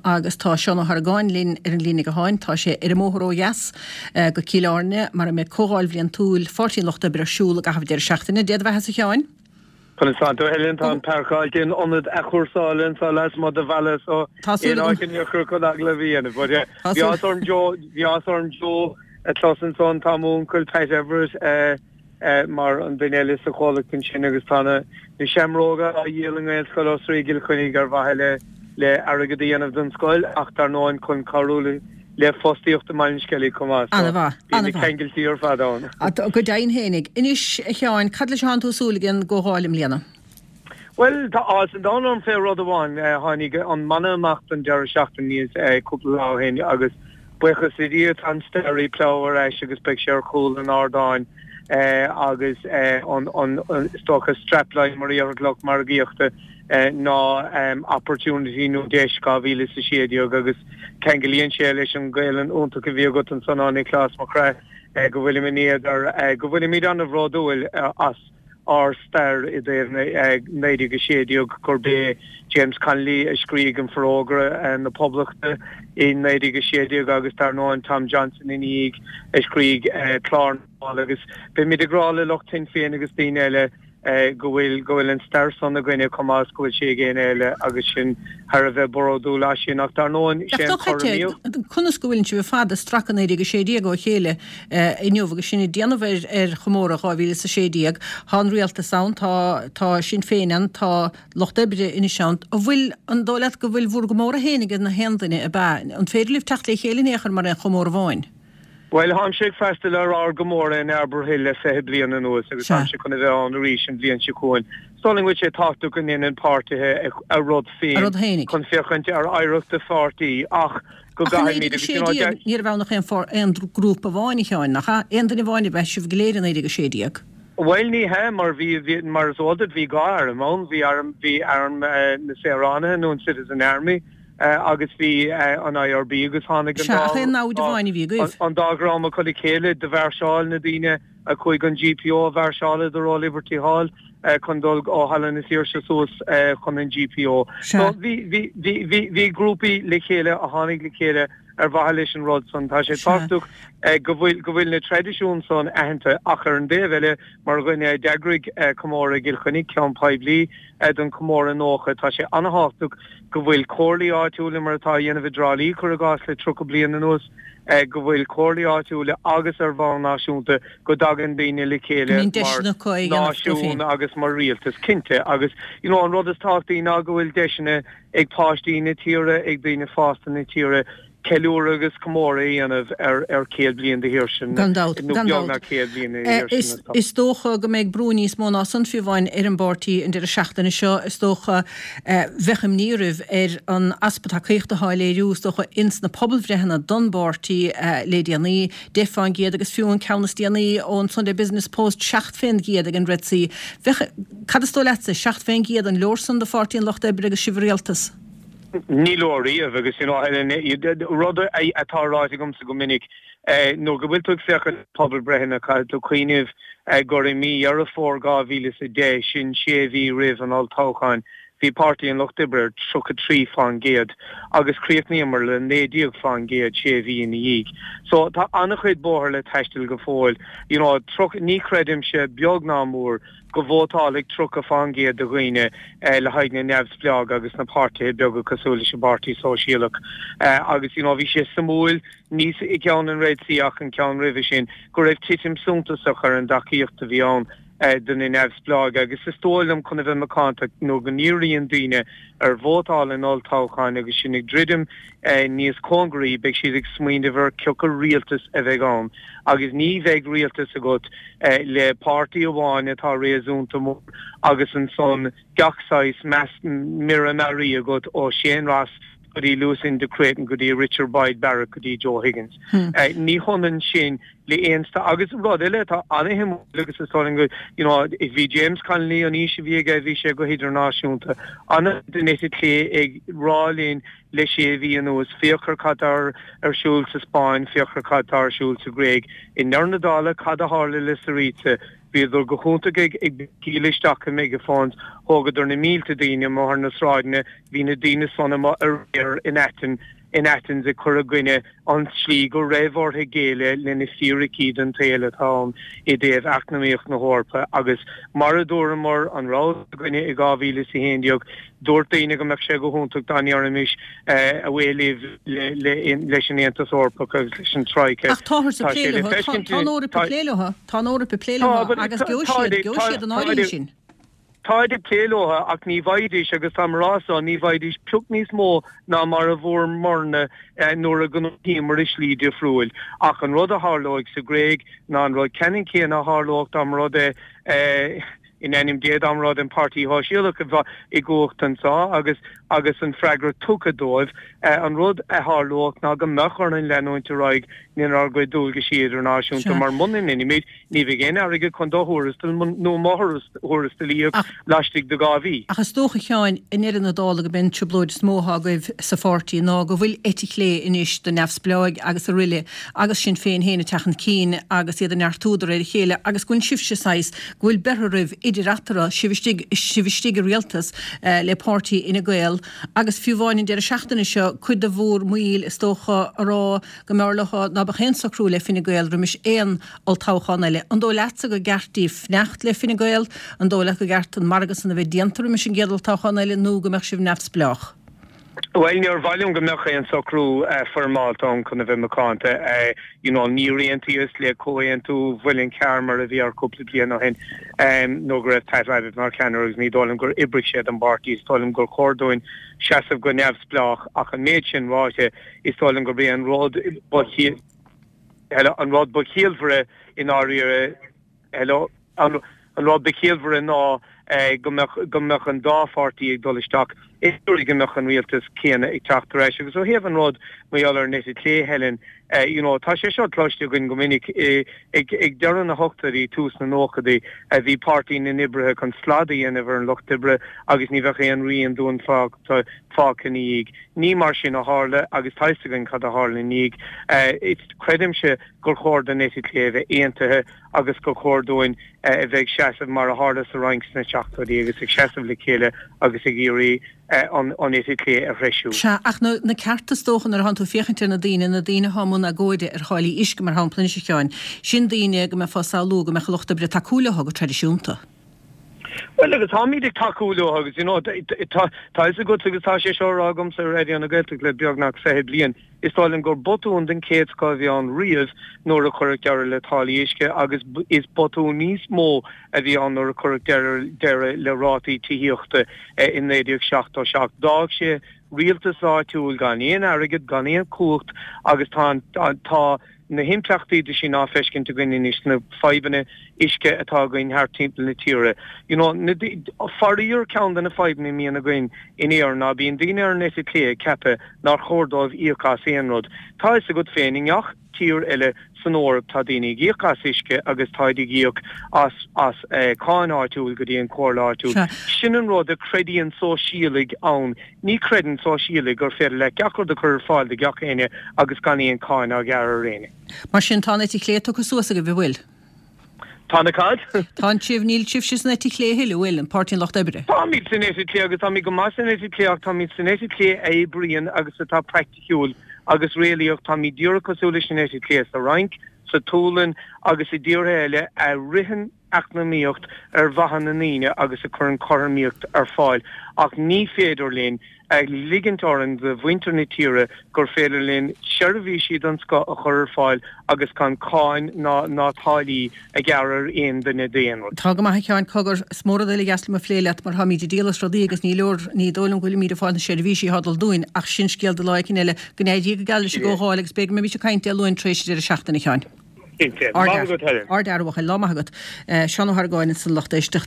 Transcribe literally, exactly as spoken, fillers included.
agus tá Seán Ó hArgáin linn ar an líne gutháin, tá sé ar an mbóthar ó dheas go Cill Airne mar a mbeidh comhdháil bhliantúil Pháirtí an Lucht Oibre ar siúl i gcaitheamh an deireadh seachtaine. Dé do bheatha a Sheáin. Conas tánn tú Helen tá an páirceáilte in ionad athchúrsála anseo lasmuigh de bhaile so aon áit in iarchur chun agallamh a dhéanamh. But bhí áthas orm Joe bhí áthas orm Joe a chlos ansan tá m'uncail Pat Everett mar an duine eile sa chomhlacht ansin agus tá na seamróga á dhíol i nGaelscoil Osraí i gCill Chainnigh ar mhaithe le le airgead a dhéanamh don scoil ach dar ndóigh chun cabhrú le le fostaíocht i mBaile an Sceilg chomh maith. So bíonn na ceangailtí ar fad ann. Go deimhin fhéinig. Anois a Sheáin, cad leis atánn tú ag súil ag an gcomhdháil i mbliana? Bhuel, tá áthas an domhain orm fé rud amháin. Tháinig an mana amach don deireadh seachtaine níos cúpla lá ó shin agus buíochas le Dia tá an Staraí Plough ar ais agus beidh sé ar chúl an ardáin agus an an is dócha strapline mar a déarfadh lucht margaíochta ná Opportunity nó Deis dhá mhíle is a sé déag agus ceanglaíonn sé leis an Ghaelainn iontach a bhí agat ansan a Niocláis mo chroí go bhfuilim in éadar go bhfuilimid an-bhródúil as ár stair i dtaobh naoi déag a sé déag gurb é James Connolly a scrígh an Forógra na Poblachta i naoi déag a sé déag agus dar ndóigh Tom Johnson ina dhiaidh a scrígh Clár na bhFál agus beimid ag rá le lucht Shinn Féin agus daoine eile go bhfuil go bhfuil an stair san againne chomh maith is go bhfuil sé ag éinne eile agus sinn thar a bheith bródúil as sin ach dar ndóigh sé an cothromaíocht. Conas go bhfuileann sibh ar fad ag stracadh naoi déag a sé déag ó chéile inniu agus sinn ag déanamh ar ar chomóradh dhá mhíle is a sé déag? Tá an rialtas ann, tá tá Sinn Féin ann, tá Lucht Oibre anois ann. An bhfuil, an dóigh leat go bhfuil bhur gcomóradh féin ag na haon duine, ab ea? An féidir libh teacht le chéile in aon chor mar aon chomóradh amháin? Bhuel, táimse ag freastal ar ár gcomóradh in Arbour Hill le fiche bliain anuas agus táimse chun a bheith ann arís an bhliain seo chugainn. Is dóigh liom go bhfuil sé tábhachtach go ndéanann páirtithe a rud féin chun féachaint ar oidhreacht a pháirtí ach go gcaithfimid agus you know Ní raibh ann ach aon grúpa amháin, a Sheáin, nach ea? Aon duine amháin ab ea sibh go léir i naoi déag a sé déag? Bhuel, ní hea, mar bhí, mar is eol duit, bhí dhá arm ann, bhí arm, bhí arm na saoránaithe nó an Citizen Army, agus bhí an I R B agus tháinig an dá aon namhaid amháin a bhí agaibh. An dá dhream acu le chéile do mhairseáil na daoine a chuaigh an G P O a mhairseáladar ó Liberty Hall chun dul ó Halla na Saoirse suas chun an G P O. So bhí bhí bhí bhí bhí grúpaí le chéile a tháinig le chéile ar mhaithe leis an rud san. Tá sé tábhachtach go bhfuil go bhfuil na traidisiúin san aitheanta ach ar an dtaobh eile mar dhuine a d'eagraigh comóradh i gCill Chainnigh, ceann poiblí don chomóradh nócha, tá sé an-tábhachtach go bhfuil comhairlí áitiúla mar atá á dhéanamh i dTrá Lí cuir i gcás le tríocha bliain anuas, go bhfuil comhairlí áitiúla agus ar bhonn náisiúnta go dtagann daoine le chéile mar náisiún agus mar rialtas cinnte agus you know an rud is tábhachtaí ná go bhfuil deiseanna ag páistí na tíre, ag daoine fásta na tíre ceiliúradh agus comóradh a dhéanamh ar ar céad bliain de shaoirse Gan dabht, nó gan beagnach dabht. céad bliain de shaoirse na Is dócha go mbeidh brú níos mó ná san fiú amháin ar an bpáirtí an deireadh seachtaine seo. Is dócha bheadh imní oraibh ar an easpa tacaíochta atá á léiriú is dócha ins na pobalbhreitheanna don bpáirtí le déanaí, deich fán gcéad agus fiú an ceann is déanaí ón Sunday Business Post seacht fén gcéad ag an Red C. Bheadh, cad is dóigh leatsa, seacht fén gcéad an leor san do Pháirtí an Lucht Oibre agus sibh i rialtas? Ní leor riamh agus you know Helen rud atá ráite agamsa go minic nuair go bhfuil tú ag féachaint ar pobalbhreitheanna caithfidh tú cuimhneamh gur i mí Dheireadh Fómhair dhá mhíle is a deich, sin sé mhí roimh an olltoghchán, bhí Páirtí an Lucht Oibre ar tríocha trí fán gcéad agus chríochnaíomar le naoi déag fán gcéad sé mhí ina dhiaidh. So tá an-chuid bóthair le taisteal go fóill. You know tríocha ní chreidimse beag ná mór go vótálfaidh tríocha fán gcéad de dhaoine le haghaidh na neamhspleágh agus na páirtithe beaga cosúil leis an bPáirtí Sóisialach agus you know bhí sé suimiúil ní i gceann an Red C ach an ceann roimhe sin go raibh titim suntasach ar an dtacaíocht a bhí ann do na neamhspleáigh agus is dóigh liom chun a bheith macánta nuair go ndíríonn daoine ar vótáil in olltoghcháin agus sin ag druidim níos cóngaraí beidh siad ag smaoineamh ar cioca rialtas a bheidh ann agus ní bheidh rialtas agat le páirtí amháin atá réasúnta mór agus ansan gach saghas mire mearaí agat ó Shane Ross go dtí Lucinda Creighton go dtí Richard Boyd Barrett go dtí Joe Higgins. Ní hionann sin le aon agus rud eile atá an-shuimiúil agus is dóigh liom go you know bhí James Connolly an fhís a bhí aige bhí sé go hidirnáisiúnta an den eite chlé ag rá linn le sé mhí anuas, féach ar cad tá ar siúl sa Spáinn, féach ar cad tá ar siúl sa Ghréig. I ndeireadh na dála, cad a tharla le Syriza? Bhíodar go hiontach ag béicíl isteach i megaphones, thógadar na mílte daoine amuigh ar na sráideanna, bhí na daoine san amuigh aréir in Aten, in Athens ag cur i gcoinne an tslí go raibh orthu géilleadh le na fíricí den tsaol atá ann i dtaobh eacnamaíocht na hEorpa agus mar a dúramar an rogha againne i dhá mhíle is a haon déag dúirt daoine go mbeadh sé go hiontach dá ndéarfaimis away libh leis an Aontas Eorpach agus leis an Troika. Ach táthar ag plé leo, tá an Eoraip ag plé leo, tá an Eoraip ag plé leo agus gheobhaidh siad, gheobhaidh siad an áirithe sin. Táid ag plé leo ach ní bhfaighidís, agus táim a rá so, ní bhfaighidís pioc níos mó ná mar a bhfuaireamarna nuair a ghnóthaíomar i slí difriúil. Ach an rud a tharlóidh sa Ghréig ná an rud ceannann céanna a tharlódh dá mba rud é, in ainm Dé, dá mba rud é an Páirtí Shóisialach a bheith i gcumhacht anseo agus agus an freagra tugtha dóibh. An rud a tharlódh ná go mbeadh orainn leanúint ar aghaidh lenár gcuid dualgaisí idirnáisiúnta mar muna ndeinimid, Ní bheidh aon airgead chun do thuarastal nó mo thuarastal a íoc laistigh de dhá mhí. Ach is dócha, a Sheáin, i ndeireadh na dála gurb é an trioblóid is mó atá agaibh sa pháirtí ná go bhfuil eite chlé anois de neamhspleáigh agus aroile agus Sinn Féin féin ag teacht chun cinn agus iad ag neartú de réir a chéile agus go bhfuil sibhse saghas, go bhfuil beirthe oraibh idir eatarthu, sibh istigh, sibh istigh i rialtas le páirtí Fhine Gael agus fiú amháin an deireadh seachtaine seo cuid de bhur mbaill is dócha a rá go mb'fhearr leo ná beadh aon socrú le Fine Gael roimis aon olltoghchán eile. An dóigh leatsa gur gceart daoibh fanacht le Fine Gael? An dóigh leat gur gceart an margadh san a bheith déanta roimis an gcéad olltoghchán eile nó go mbeadh sibh neamhspleách? Bhuel, níor mhaith liom go mbeadh aon socrú foirmeálta ann chun a bheith macánta. You know, níor aontaíos le comhaontú Mhuileann Cearr mar a bhí ann cúpla bliain ó shin nuair go raibh Pat Rabbitte mar cheannaire agus ní dóigh liom gur oibrigh sé don bpáirtí. Is dóigh liom gur chóir dúinn seasamh go neamhspleách ach an méid sin ráite, is dóigh liom gurb é an rud ba Hello, an rud ba chiallmhaire i ndáiríre, hello, an rud ba chiallmhaire ná go mbeadh, go mbeadh an dá pháirtí ag dul isteach i dtreo go mbeadh an rialtas céanna ag teacht ar ais. Agus ó thaobh an rud mar gheall ar an eite chlé, Helen, you know, tá sé seo cloiste againn go minic, ag, ag deireadh na hochtóidí, tús na nóchaidí, bhí Páirtí na nOibrithe chun slad a dhéanamh ar an lucht oibre agus ní bheadh aon rian dúinn fágtha, fágtha ina dhiaidh. Ní mar sin a tharla agus tá fhios againn cad a tharla ina dhiaidh. Creidimse gur chóir don eite chlé a bheith aontaithe agus gur chóir dúinn a bheith ag seasamh mar a tharla sa Fhrainc sna seachtóidí agus ag seasamh le chéile agus ag iarraidh an eite chlé a threisiú. Sea, ach na cearta is dócha nuair atánn tú ag féachaint ar na daoine, na daoine atá i mbun agóide ar tháillí uisce mar shampla anois a Sheáin, sin daoine go mbeifeá ag samhlú go mbeadh an lucht oibre ag tacú leo go traidisiúnta. Bhuel, agus táimid ag tacú leo agus, you know, tá fhios agat agus tá sé seo á rá agamsa ar Raidió na Gaeltachta le beagnach fiche bliain, is dóigh liom gur botún den chéad scoth a bhí ann riamh nuair a cuireadh deireadh le táillí uisce agus is botún níos mó a bhí ann nuair a cuireadh deireadh le rátaí tithíochta in naoi déag seachtó seacht. D'fhág sé rialtas áitiúil gan aon airgead, gan aon chumhacht agus tá an, tá na himpleachtaí de sin á feiscint againn anois sna fadhbanna uisce atá againn thart timpeall na tíre. You know, na, faraor ceann de na fadhbanna a mbíonn againn in Éirinn ná bíonn daoine ar an eite chlé ag ceapadh nár chóir dóibh íoc as aon rud. Tá fhios agat féin, i ngach tír eile san Eoraip tá daoine ag íoc as uisce agus táid ag íoc as as cáin áitiúil go dtí an chomhairle áitiúil. Sin an rud a chreideann sóisialaigh ann. Ní chreideann sóisialaigh gur féidir leat gach rud a chur ar fáil do gach éinne agus gan aon cháin á ghearradh ar éinne. Mar sin, tá an eite chlé tugtha suas agaibh, an bhfuil? Tá na cad? Tá an sibh, níl sibhse san eite chlé a thuilleadh, an bhfuil, an Páirtí an Lucht Oibre? Táimid san eite chlé agus táimid go maith san eite chlé ach táimid san eite chlé a oibríonn agus atá praiticiúil agus réalaíoch. Táimid díreach cosúil leis an eite chlé sa Fhrainc, sa tSualainn agus i dtíortha eile a ritheann eacnamaíocht ar mhaithe na ndaoine agus a chuireann cothromaíocht ar fáil ach ní féidir linn a ligint orainn do mhuintir na tíre gur féidir linn seirbhísí den scoth a chur ar fáil agus gan cáin ná ná táillí a ghearradh ar aon duine d'aon rud. Tá go maith a Sheáin, cogar, is mór an rud uilig deas liom a phlé leat mar táimíd ag díol as rudaí agus ní leor, ní dóigh liom go bhfuilimíd ag fáil na seirbhísí atá ag dul dúinn ach sin scéal do lá éicint eile. Go n-éirí go geal leis an gcomhdháil agus b'fhéidir go mbeimís ag caint Dé Luain tar éis an deireadh seachtaine a Sheáin. Cinnte. Maith agat Helen. Ardfhear a bhuachaill. Lá maith agat. Seán Ó hArgáin ansan lucht éisteachta.